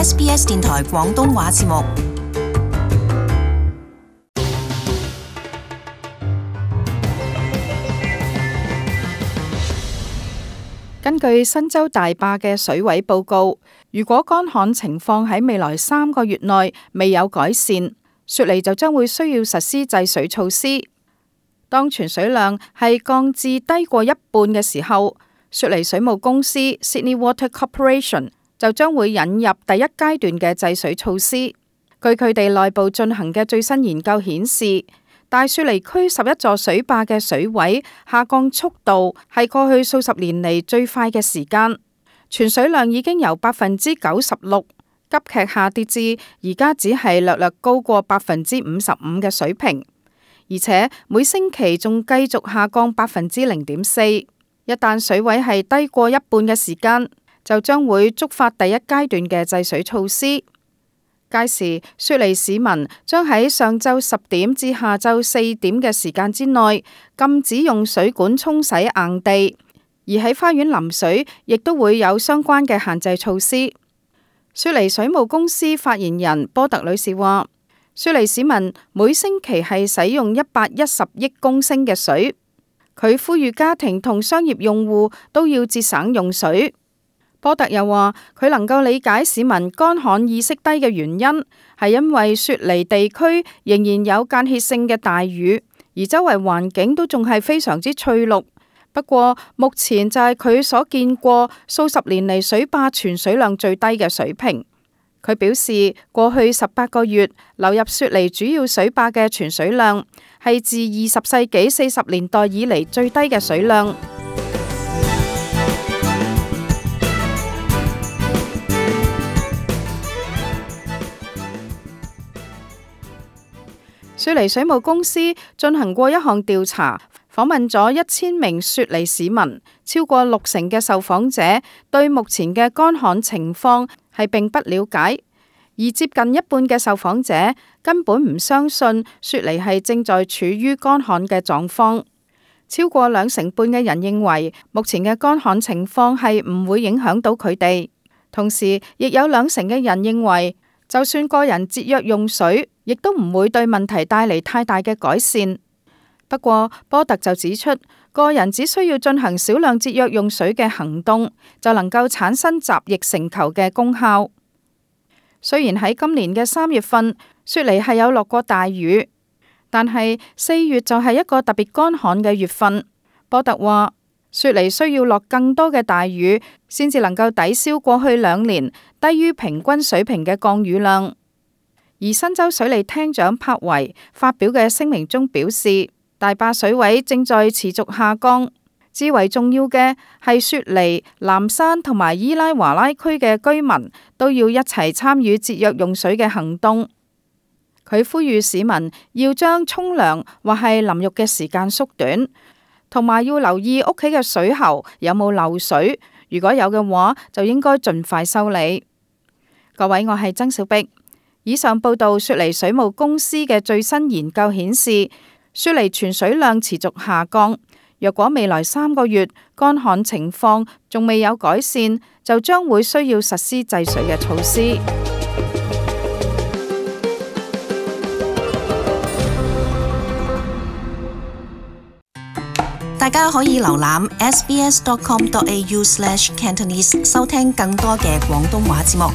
SBS 電台廣東話節目。根據新州大壩嘅水位報告，如果乾旱情況喺未來3個月內未有改善，雪梨就將會需要實施制水措施。當存水量係降至低過一半嘅時候，雪梨水務公司 Sydney Water Corporation 就將會引入第一階段嘅制水措施。據佢哋內部進行嘅最新研究顯示，大雪梨區11座水壩嘅水位下降速度係過去數十年嚟最快嘅時間，存水量已經由96%急劇下跌至而家只係略略高過55%嘅水平，而且每星期仲繼續下降0.4%。一旦水位係低過一半嘅時間，就將會觸發第一階段嘅制水措施。屆時，雪梨市民將喺上晝10點至下晝4點嘅時間之內禁止用水管沖洗硬地，而喺花園淋水亦都會有相關嘅限制措施。雪梨水務公司發言人波特女士話，雪梨市民每星期係使用110億公升嘅水，佢呼籲家庭同商業用戶都要節省用水。波特又話，佢能夠理解市民乾旱意識低嘅原因，係因為雪梨地區仍然有間歇性嘅大雨，而周圍環境都仲係非常之翠綠。不過目前就係佢所見過數十年嚟水壩存水量最低嘅水平。佢表示，過去18個月流入雪梨主要水壩嘅存水量係自20世紀40年代以嚟最低嘅水量。雪梨水務公司進行過一項調查，訪問咗1000名雪梨市民，超過60%嘅受訪者對目前嘅乾旱情況係並不了解，而接近一半嘅受訪者根本唔相信雪梨係正在處於乾旱嘅狀況。超過2成半嘅人認為目前嘅乾旱情況係唔會影響到佢哋，同時亦有2成嘅人認為，就算個人節約用水，亦都唔會對問題帶嚟太大嘅改善。不過，波特就指出，個人只需要進行少量節約用水嘅行動，就能夠產生集腋成裘嘅功效。雖然喺今年嘅3月份，雪梨係有落過大雨，但係4月就係一個特別乾旱嘅月份。波特話，雪梨需要落更多嘅大雨，先至能夠抵消過去2年低於平均水平嘅降雨量。而新州水利廳長柏維發表嘅聲明中表示，大壩水位正在持續下降，至為重要嘅係雪梨、南山同埋伊拉華拉區嘅居民都要一齊參與節約用水嘅行動。佢呼籲市民要將沖涼或係淋浴嘅時間縮短，同埋要留意屋企嘅水喉有冇漏水，如果有嘅話，就應該盡快修理。各位，我係曾小碧。以上報道雪梨水務公司嘅最新研究顯示，雪梨存水量持續下降。若果未來3個月乾旱情況仲未有改善，就將會需要實施制水嘅措施。大家可以瀏覽 sbs.com.au/cantonese 收聽更多嘅廣東話節目。